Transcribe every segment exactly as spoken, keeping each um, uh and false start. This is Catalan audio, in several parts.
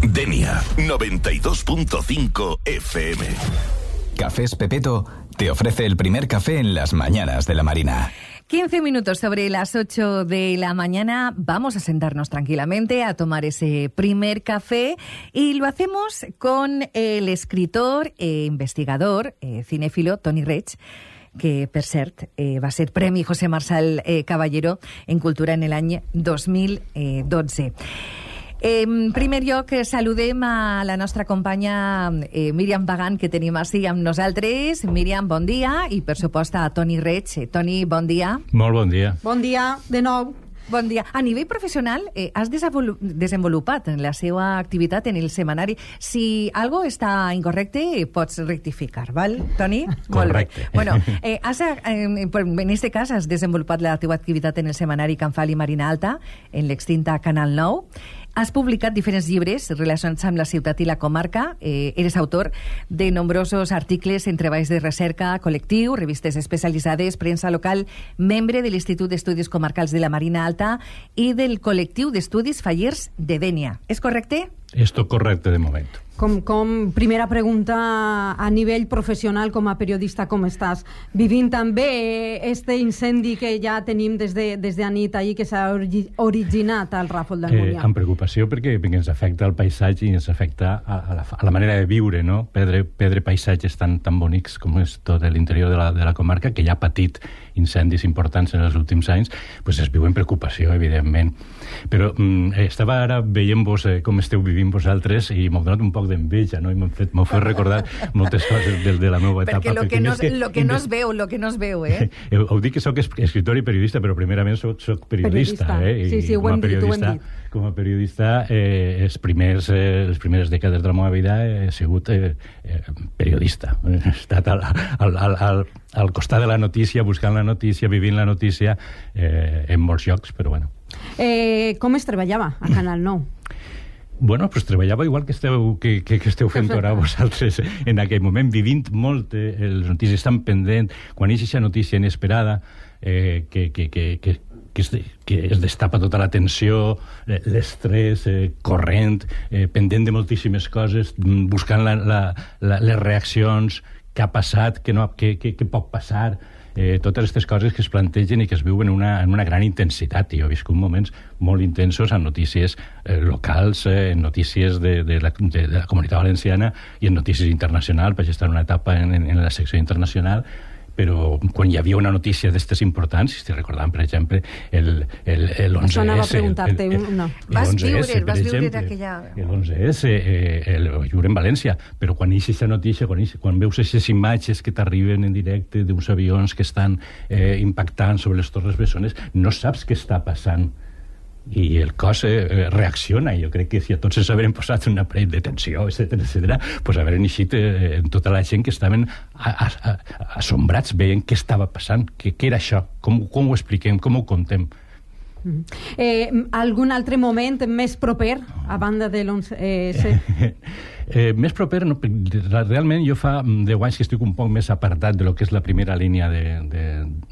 Denia noventa y dos punto cinco F M. Cafés Pepeto te ofrece el primer café en las mañanas de la Marina. quince minutos sobre las ocho de la mañana. Vamos a sentarnos tranquilamente a tomar ese primer café y lo hacemos con el escritor e investigador eh, cinéfilo Toni Reig, que per cert eh, va ser Premi José Marçal eh, Caballero en Cultura en l'any dos mil dotze. En primer lloc, saludem a la nostra companya eh, Míriam Bagant, que tenim així amb nosaltres. Míriam, bon dia, i per supost a Toni Reig. Toni, bon dia. Molt bon dia. Bon dia, de nou. Bon dia. A nivell professional, eh, has desenvolupat la seva activitat en el setmanari. Si algo està incorrecte, pots rectificar, val, Toni? Correcte. Bueno, eh, has, eh, en aquest cas has desenvolupat la teva activitat en el setmanari Can Fali Marina Alta, en l'extinta Canal nou. Has publicat diferents llibres relacionats amb la ciutat i la comarca. Eh, eres autor de nombrosos articles en treballs de recerca col·lectiu, revistes especialitzades, premsa local, membre de l'Institut d'Estudis Comarcals de la Marina Alta i del col·lectiu d'estudis fallers de Dénia. És correcte? Esto correcte de moment. Com, com primera pregunta, a nivell professional, com a periodista, com estàs? Vivint també este incendi que ja tenim des de, des de nit ahir, que s'ha originat al Ràfol d'Almunia. Eh, amb preocupació perquè, perquè ens afecta el paisatge i ens afecta a, a, la, a la manera de viure, no? Perdre, perdre paisatges tan, tan bonics com és tot l'interior de la, de la comarca, que ja ha patit incendis importants en els últims anys, pues es viu en preocupació, evidentment. Però mm, estava ara veient-vos eh, com esteu vivint vosaltres i m'ha donat un poc d'enveja, no? I m'ho fet, fet recordar moltes coses de, de la meva etapa. Perquè lo que, no, que, lo que no es veu, lo que no es veu, eh? Ho dic que soc escritor i periodista, però primerament soc, soc periodista, periodista. Eh? I sí, sí, ho hem dit, ho hem dit. Com a periodista, eh, els primers, eh, les primeres dècades de la meva vida he sigut eh, eh, periodista. He estat al, al, al, al, al costat de la notícia, buscant la notícia, vivint la notícia, eh, en molts llocs, però bueno. Eh, com es treballava a Canal nou? Bueno, pues treballava igual que esteu, que, que, que esteu fent ara vosaltres en aquell moment, vivint molt eh, les notícies, estan pendent, quan hi ha aquesta notícia inesperada, eh, que, que, que, que, que, es, que es destapa tota la tensió, eh, l'estrès, eh, corrent, eh, pendent de moltíssimes coses, buscant la, la, la, les reaccions, què ha passat, què, no, què, què, què pot passar, eh, totes aquestes coses que es plantegen i que es viuen en una, en una gran intensitat. Jo he viscut moments molt intensos en notícies eh, locals, eh, en notícies de, de, la, de, de la Comunitat Valenciana i en notícies internacionals. Vaig estar en una etapa en, en, en la secció internacional, però quan hi havia una notícia d'estes importants, si recordàvem, per exemple, el, el, el onze esse... Això anava a preguntar-te una. Vas viure, vas viure aquella... El onze esse, eh, el viure en València, però quan hi ha aquesta notícia, quan, hi, quan veus aquestes imatges que t'arriben en directe d'uns avions que estan eh, impactant sobre les Torres Bessones, no saps què està passant. I el cos eh, reacciona. Jo crec que si a tots ens haurem posat una parell de tensió, etcètera, etcètera, pues haurem eixit eh, en tota la gent que estaven a, a, a, assombrats veient què estava passant, què, què era això, com, com ho expliquem, com ho contem. Mm. Eh, algun altre moment més proper a banda de l'onze esse? Eh, més proper, no, realment jo fa deu anys que estic un poc més apartat de lo que és la primera línia de, de,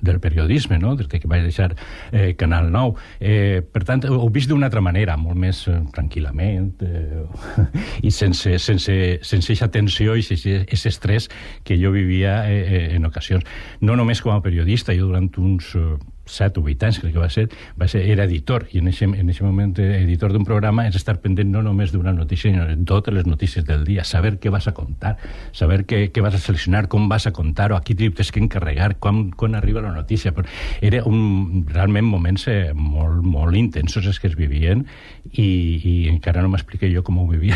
del periodisme, no? Des que vaig deixar eh, Canal nou. Eh, per tant, ho he vist d'una altra manera, molt més eh, tranquil·lament eh, i sense, sense, sense eixa tensió i sense aquest estrès que jo vivia eh, en ocasions. No només com a periodista, jo durant uns... Eh, set o vuit anys, crec que va ser, va ser era editor, i en aquest moment editor d'un programa és estar pendent no només d'una notícia, sinó de totes les notícies del dia, saber què vas a contar, saber què, què vas a seleccionar, com vas a contar-ho, a qui tens que encarregar, quan, quan arriba la notícia. Però era un, realment moments eh, molt, molt intensos els que es vivien i, i encara no m'expliqué jo com ho vivia.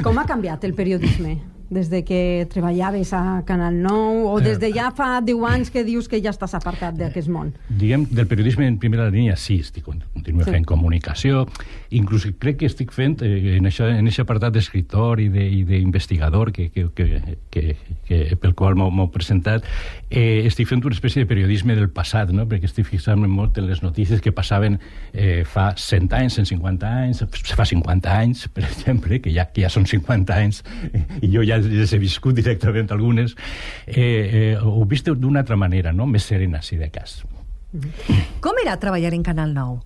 Com ha canviat el periodisme des de que treballaves a Canal nou o des de ja fa deu anys que dius que ja estàs apartat d'aquest món? Diguem, del periodisme en primera línia sí, estic, continuo sí. fent comunicació, inclús crec que estic fent eh, en aquest apartat d'escriptor i d'investigador que, que, que, que, que pel qual m'ho he presentat, eh, estic fent una espècie de periodisme del passat, no? Perquè estic fixant-me molt en les notícies que passaven eh, fa cent anys, cent cinquanta anys, fa cinquanta anys, per exemple, que ja, que ja són cinquanta anys, eh, i jo ja les he viscut directament algunes, eh, eh, ho he vist d'una altra manera, no? Més serena, si de cas. Com era treballar en Canal nou?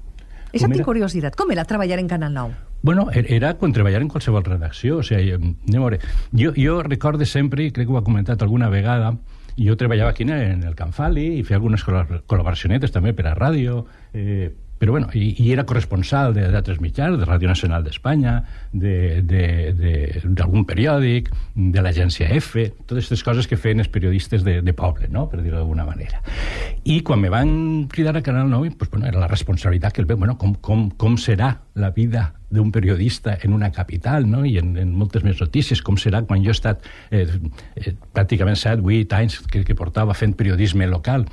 Això tinc curiositat. Com era treballar en Canal nou? Bueno, era quan treballar en qualsevol redacció. O sigui, anem a veure, jo, jo recorde sempre, i crec que ho ha comentat alguna vegada, jo treballava aquí en el Can Fali i feia algunes col·laboracionetes també per a ràdio, eh, però bueno, i, i era corresponsal d'altres mitjans, de Ràdio Nacional d'Espanya, d'algun periòdic, de l'agència F, totes aquestes coses que feien els periodistes de, de poble, no?, per dir-ho d'alguna manera. I quan me van cridar a Canal nou, pues, bueno, era la responsabilitat que el veu, bueno, com, com, com serà la vida d'un periodista en una capital, no?, i en, en moltes més notícies, com serà quan jo he estat eh, eh, pràcticament set, vuit anys que, que portava fent periodisme local.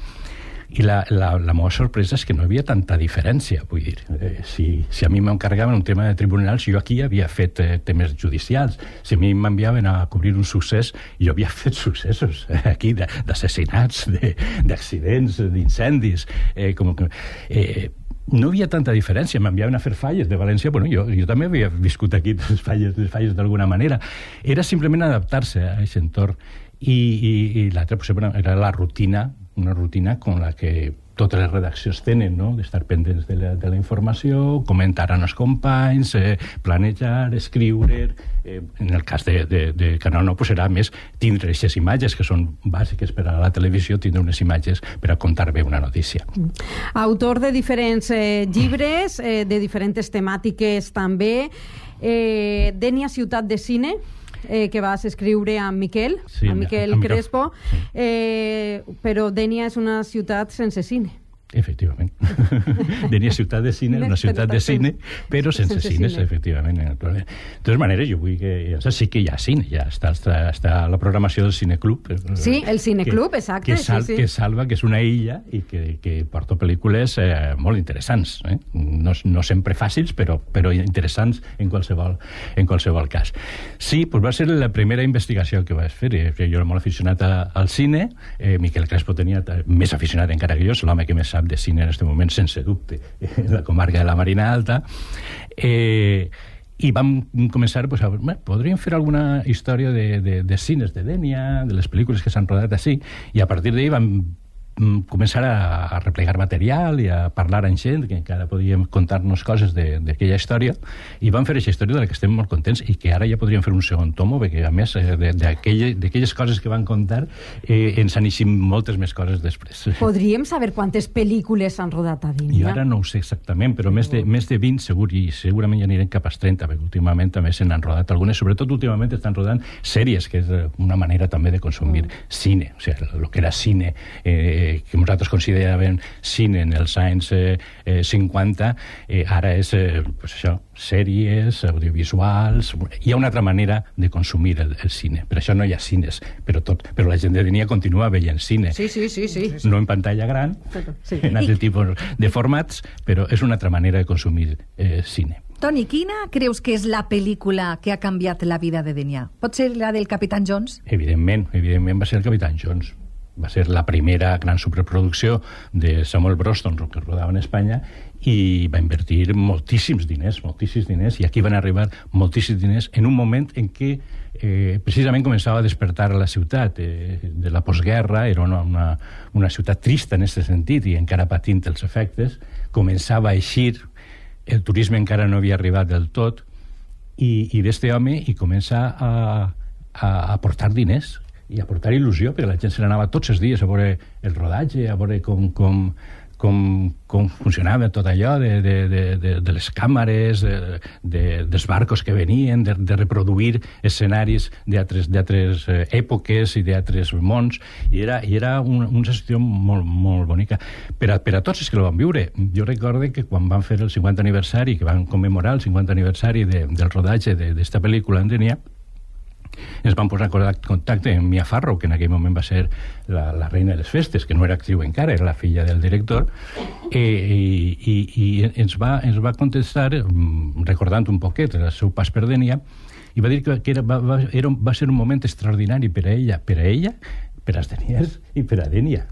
I la, la, la meva sorpresa és que no hi havia tanta diferència, vull dir, eh, si, si a mi m'encarregaven un tema de tribunals, jo aquí havia fet eh, temes judicials, si a mi m'enviaven a cobrir un succés, jo havia fet successos eh, aquí, d'assassinats, d'accidents, d'incendis, eh, com que... Eh, no hi havia tanta diferència, m'enviaven a fer falles de València, bueno, jo, jo també havia viscut aquí les falles, les falles d'alguna manera. Era simplement adaptar-se a aquest entorn. I, i, i l'altra pues, era la rutina, una rutina con la que totes les redaccions tenen, no?, d'estar pendents de la, de la informació, comentar amb els companys, eh, planejar, escriure... Eh, en el cas de, de, de Canal nou, pues, serà més tindre aquestes imatges que són bàsiques per a la televisió, tindre unes imatges per a contar bé una notícia. Autor de diferents eh, llibres, eh, de diferents temàtiques també. Eh, Dènia, ciutat de cine, Eh, que vas escriure amb Miquel, sí, amb Miquel amb Crespo, eh, però Dènia és una ciutat sense cine. Efectivament. Dènia ciutat de cine, una ciutat de cine, però sense, sense cines, cine. Efectivament. De totes maneres, jo vull que... Ja sí que hi ha cine, ja està, està, està la programació del Cineclub. Sí, el Cineclub, que, exacte. Que, sal, sí, sí. que salva, que és una illa i que, que porta pel·lícules eh, molt interessants. Eh? No, no sempre fàcils, però, però interessants en qualsevol, en qualsevol cas. Sí, doncs va ser la primera investigació que vaig fer. Jo era molt aficionat a, al cine, eh, Miquel Crespo tenia més aficionat encara que jo, és l'home que més sap de cine en aquest moment, sense dubte, en la comarca de la Marina Alta, eh, i vam començar, pues, a, bueno, podríem fer alguna història de, de, de cines de Dènia, de les pel·lícules que s'han rodat així, i a partir d'ahir vam començar a, a replegar material i a parlar amb gent que encara podíem contar-nos coses d'aquella història, i vam fer aquesta història de la que estem molt contents i que ara ja podríem fer un segon tomo, perquè a més d'aquelles coses que van contar eh, ens han eixit moltes més coses després. Podríem saber quantes pel·lícules s'han rodat a Dènia? Jo ara no ho sé exactament, però més de, més de vint segur, i segurament ja anirem cap als trenta, perquè últimament també se n'han rodat algunes, sobretot últimament estan rodant sèries, que és una manera també de consumir mm. cine, o sigui, el que era cine eh, que nosaltres consideràvem cine en els anys eh, eh, cinquanta, eh, ara és eh, pues això, sèries, audiovisuals... Hi ha una altra manera de consumir el, el cine. Per això no hi ha cines, però, tot, però la gent de Dènia continua veient cine. Sí, sí, sí, sí. No en pantalla gran, sí. En altres tipus de formats, però és una altra manera de consumir eh, cine. Toni, quina creus que és la pel·lícula que ha canviat la vida de Dènia? Pot ser la del Capitán Jones? Evidentment, evidentment va ser el Capitán Jones. Va ser la primera gran superproducció de Samuel Broston que rodava en Espanya, i va invertir moltíssims diners, moltíssims diners, i aquí van arribar moltíssims diners en un moment en què eh, precisament començava a despertar a la ciutat eh, de la postguerra. Era una, una, una ciutat trista en aquest sentit i encara patint els efectes. Començava a eixir, el turisme encara no havia arribat del tot, i, i ve este home i comença a, a, a aportar diners i a portar il·lusió, perquè la gent se n'anava tots els dies a veure el rodatge, a veure com, com, com, com funcionava tot allò de, de, de, de les càmeres, de, de, dels barcos que venien, de, de reproduir escenaris d'altres èpoques i d'altres mons, i era, i era un, una situació molt, molt bonica per a, per a tots els que lo van viure. Jo recordo que quan van fer el cinquanta aniversari, que van commemorar el cinquanta aniversari de, del rodatge d'esta pel·lícula en Dènia, ens van posar en contacte amb Mia Farrow, que en aquell moment va ser la, la reina de les festes, que no era actriu encara, era la filla del director, eh, i, i, i ens, va, ens va contestar recordant un poquet el seu pas per Dènia, i va dir que, que era, va, va, era, va ser un moment extraordinari per a ella, per a ella, per als deniers i per a Dènia.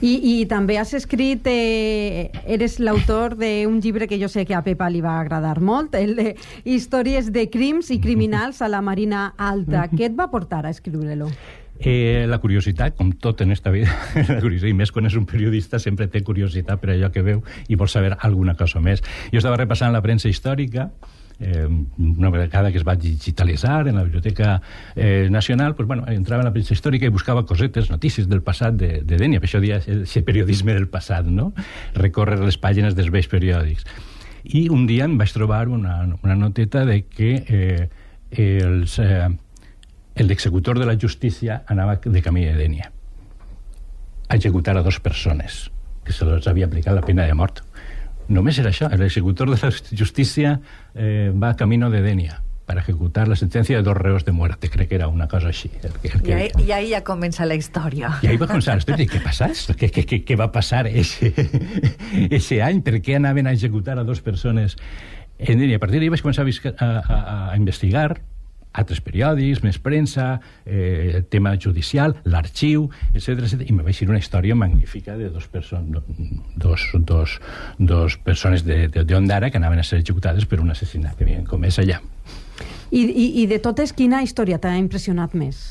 I, i també has escrit, eh, eres l'autor d'un llibre que jo sé que a Pepa li va agradar molt, el de Històries de crims i criminals a la Marina Alta. Què et va portar a escriure-lo? Eh, la curiositat, com tot en esta vida, la curiositat, i més quan és un periodista, sempre té curiositat per allò que veu i vol saber alguna cosa més. Jo estava repassant la premsa històrica, eh, una vegada que es va digitalitzar en la Biblioteca eh, Nacional, pues, bueno, entrava en la premsa històrica i buscava cosetes, notícies del passat de, de Dénia, per això dia el periodisme del passat, no? Recórrer les pàgines dels vells periòdics. I un dia em vaig trobar una, una noteta de que eh, els... Eh, el executor de la justícia anava de camí de Dénia a executar a dos persones que se les havia aplicat la pena de mort. Només era això, l'executor de la justícia eh, va camino de Dénia para ejecutar la sentencia de dos reos de muerte, crec que era una cosa així. El que, el que... I, ahí, I ahí ja comença la història. I ahí va començar la història. Què passa? Què, què, què, què va passar ese, ese any? Per què anaven a executar a dos persones en Dénia? A partir d'ahí vaig començar a, a, a, a investigar altres periòdics, més premsa, eh, tema judicial, l'arxiu, etcètera, etcètera, i me vaig dir una història magnífica de dos, person dos, dos, dos persones d'Ondara que anaven a ser executades per un assassinat que havien comès allà. I, i, i de totes, quina història t'ha impressionat més?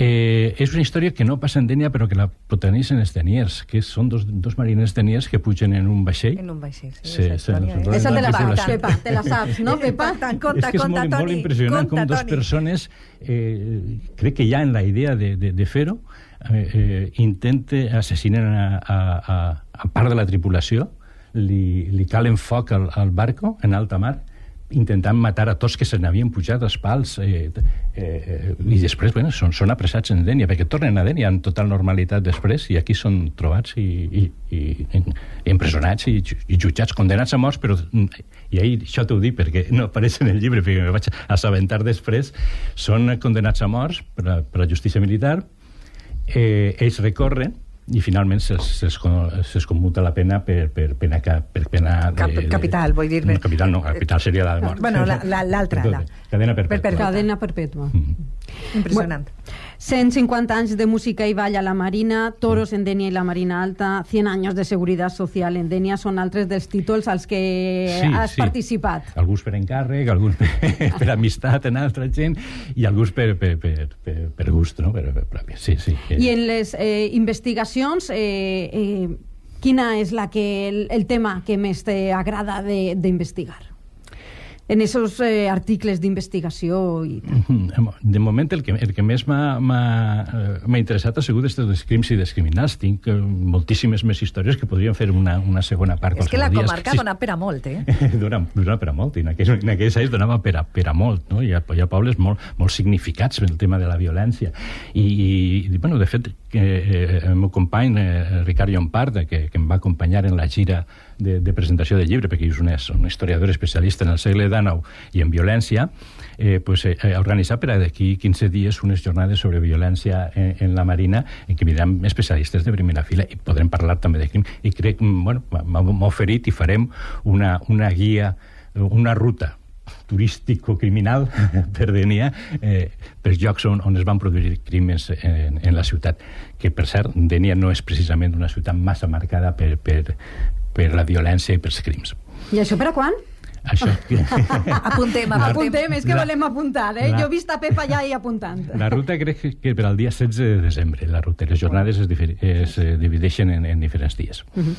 Eh, és una història que no passa en Dénia, però que la protagonitzen els deniers, que són dos, dos mariners deniers que pugen en un vaixell. En un vaixell, sí. sí esa història, se, eh? Esa te la saps, Pepa, te la saps, no, Pepa? Conta, conta, és que és conta, molt, Toni. molt impressionant com dos persones, eh, crec que ja en la idea de, de, de fer-ho, eh, eh, intenten assassinar a, a, a, a part de la tripulació, li, li calen foc al, al barco en alta mar, intentant matar a tots que se n'havien pujat als pals eh, eh, i després bueno, són, són apressats en Dénia, perquè tornen a Dénia en total normalitat després i aquí són trobats i, i, i, i empresonats i, i jutjats, condenats a morts, però i ahir això t'ho dic perquè no apareix en el llibre, perquè me vaig assabentar després, són condenats a morts per la, per la justícia militar, eh, ells recorren i finalment se'ls se se commuta la pena per, per pena, per pena de, Cap, capital, vull dir-me. No, capital no, capital seria la de mort. Bueno, l'altra. La, la, cadena perpètua. Per, per, cadena perpètua. Mm. Impressionant. Bueno, cent cinquanta anys de música i ball a la Marina, toros en Dénia i la Marina Alta, cent anys de seguretat social en Dénia, són altres dels títols als que sí, has sí. participat. Alguns per encàrrec, alguns per, per amistat en altra gent i alguns per, per, per, per, per gust, no? Per, per, per, sí, sí. I en les eh, investigacions, eh, eh, quina és la que, el, el tema que més t'agrada d'investigar? En esos eh, articles d'investigació i tal. De moment el que, el que més m'ha interessat ha sigut dels crims i dels criminals. Tinc moltíssimes més històries que podríem fer una, una segona part. És que la comarca sí, dona per a molt, eh? dona, dona per a molt, i en aquells, en aquells anys donava per a, per a molt, no? Hi ha, hi ha pobles molt, molt significats en el tema de la violència. I, i bueno, de fet, eh, el meu company, eh, Ricard Llompart, que, que em va acompanyar en la gira de, de presentació del llibre, perquè és un, un historiador especialista en el segle dinou i en violència, eh, pues, eh, ha organitzat per d'aquí quinze dies unes jornades sobre violència en, en la Marina, en què vindran especialistes de primera fila i podrem parlar també de crim. I crec, bueno, m'ha oferit i farem una, una guia, una ruta turístico-criminal per Dénia, eh, per llocs on, on es van produir crims en, en la ciutat, que per cert, Dénia no és precisament una ciutat massa marcada per, per, per la violència i pels crims. I això per a quan? Això. apuntem, apuntem. Apuntem, és que la, volem apuntar, eh? la, jo he vist a Pepa allà i apuntant. La ruta crec que per al dia setze de desembre, la ruta. Les jornades es, es divideixen en, en diferents dies. Uh-huh.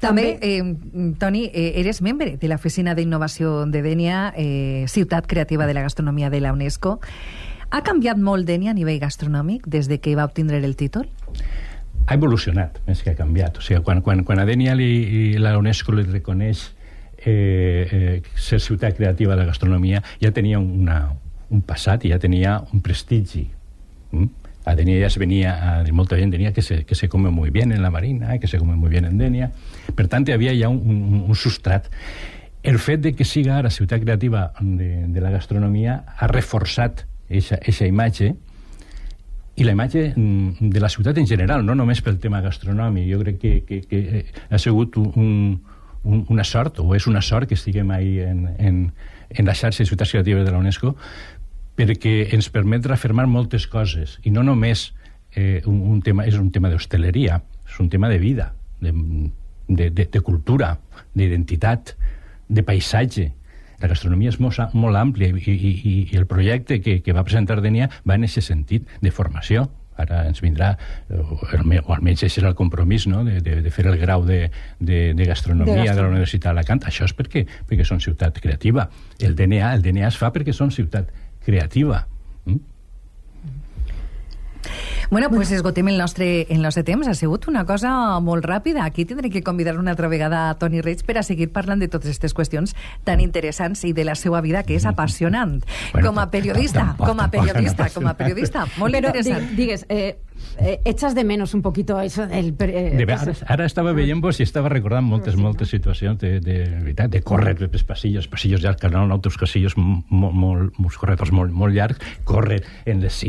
També, eh, Toni, eh, eres membre de l'Oficina d'Innovació de Dénia, eh, ciutat creativa de la gastronomia de la UNESCO. Ha canviat molt Dénia a nivell gastronòmic des de que va obtindre el títol? Ha evolucionat, més que ha canviat. O sigui, quan, quan, quan a Dénia li, la UNESCO li reconeix eh, eh, ser ciutat creativa de la gastronomia, ja tenia una, un passat i ja tenia un prestigi. Mm? A Dénia ja se venia, a, molta gent tenia que se, que se come muy bien en la Marina, que se come muy bien en Dénia. Per tant, hi havia ja un, un, un substrat. El fet de que siga ara ciutat creativa de, de la gastronomia ha reforçat aquesta imatge, i la imatge de la ciutat en general, no només pel tema gastronòmic. Jo crec que, que, que ha sigut un, un, una sort, o és una sort que estiguem ahí en, en, en la xarxa de ciutats creatives de la UNESCO, perquè ens permet reafirmar moltes coses, i no només eh, un, un tema, és un tema d'hostaleria, és un tema de vida, de, de, de, de cultura, d'identitat, de paisatge. La gastronomia és molt, molt àmplia i, i, i el projecte que, que va presentar D N I A va en aquest sentit de formació. Ara ens vindrà, o almenys això era el compromís, no?, de, de, de fer el grau de, de, de gastronomia de, de la Universitat d'Alacant. Això és perquè, perquè són ciutat creativa. El D N A, el D N A es fa perquè són ciutat creativa. Mm? Bueno, pues esgotem el nostre, el nostre temps. Ha sigut una cosa molt ràpida. Aquí tindré que convidar una altra vegada a Toni Reig per a seguir parlant de totes aquestes qüestions tan interessants i de la seva vida, que és apassionant. Bueno, com a periodista, tampoc, com a periodista, no, com a periodista, molt Però, interessant. Digues, eh, eh, echas de menos un poquito eso. El, eh, de, ara, ara estava veient-vos i estava recordant moltes, moltes situacions de, de, de, de córrer pels passillos, passillos llargs, que anaven altres passillos molt, molt, molts corredors molt, molt llargs, córrer en les...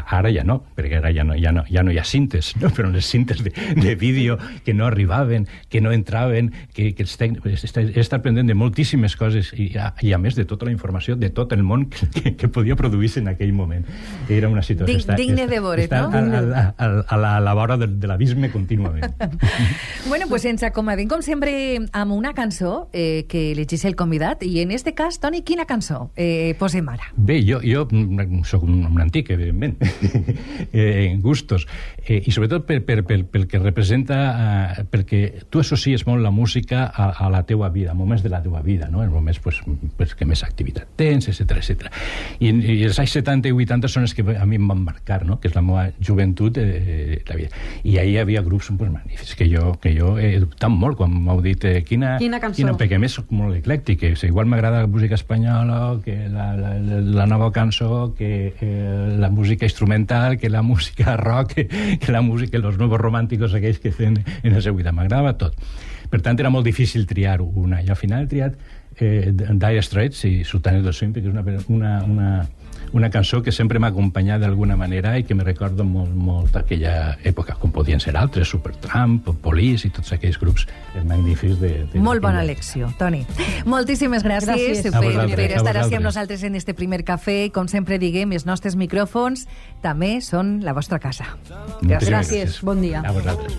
Ara ja no, perquè ara ja no, ja no, ja no hi ha cintes, no? Però les cintes de, de vídeo que no arribaven, que no entraven, que, que els tècnics... He estat aprenent de moltíssimes coses i, i a més de tota la informació de tot el món que, que, que podia produir-se en aquell moment. Era una situació... Dig, digne de veure, no? A, a, a, a, la, a la vora de, de l'abisme contínuament. Bueno, pues ens acomodim, com sempre, amb una cançó eh, que elegís el convidat, i en este cas, Toni, quina cançó eh, posem ara? Bé, jo, jo soc un, un antic, evidentment, eh, en gustos, eh, i sobretot per, per, per, pel que representa, eh, perquè tu associes molt la música a, a la teua vida, a moments de la teua vida, no? En moments pues, pues, que més activitat tens, etcètera, etcètera. I, I els anys setanta i vuitanta són els que a mi em van marcar, no? Que és la meva joventut, eh, la vida. I ahir hi havia grups pues, magnífics, que jo, que jo he dubtat molt quan m'heu dit eh, quina, quina cançó. Quina, perquè a més soc molt eclèctic, que igual m'agrada la música espanyola, que la, la, la nova cançó, que eh, la música instrumental, que la música rock, que, que la música, los nuevos romànticos aquells que fem en el seu vida. M'agradava tot. Per tant, era molt difícil triar una. I al final he triat eh, Dire Straits i Sultanes del Swing, perquè és una, una, una, una cançó que sempre m'ha acompanyat d'alguna manera i que me recordo molt, molt d'aquella època, com podien ser altres, Supertramp, Police i tots aquells grups magnífics de... de molt bona elecció, Toni. Moltíssimes gràcies, gràcies. Per, per estar així amb nosaltres en este primer cafè. Com sempre diguem, els nostres micròfons també són la vostra casa. Gràcies. Gràcies. Bon dia. A vosaltres.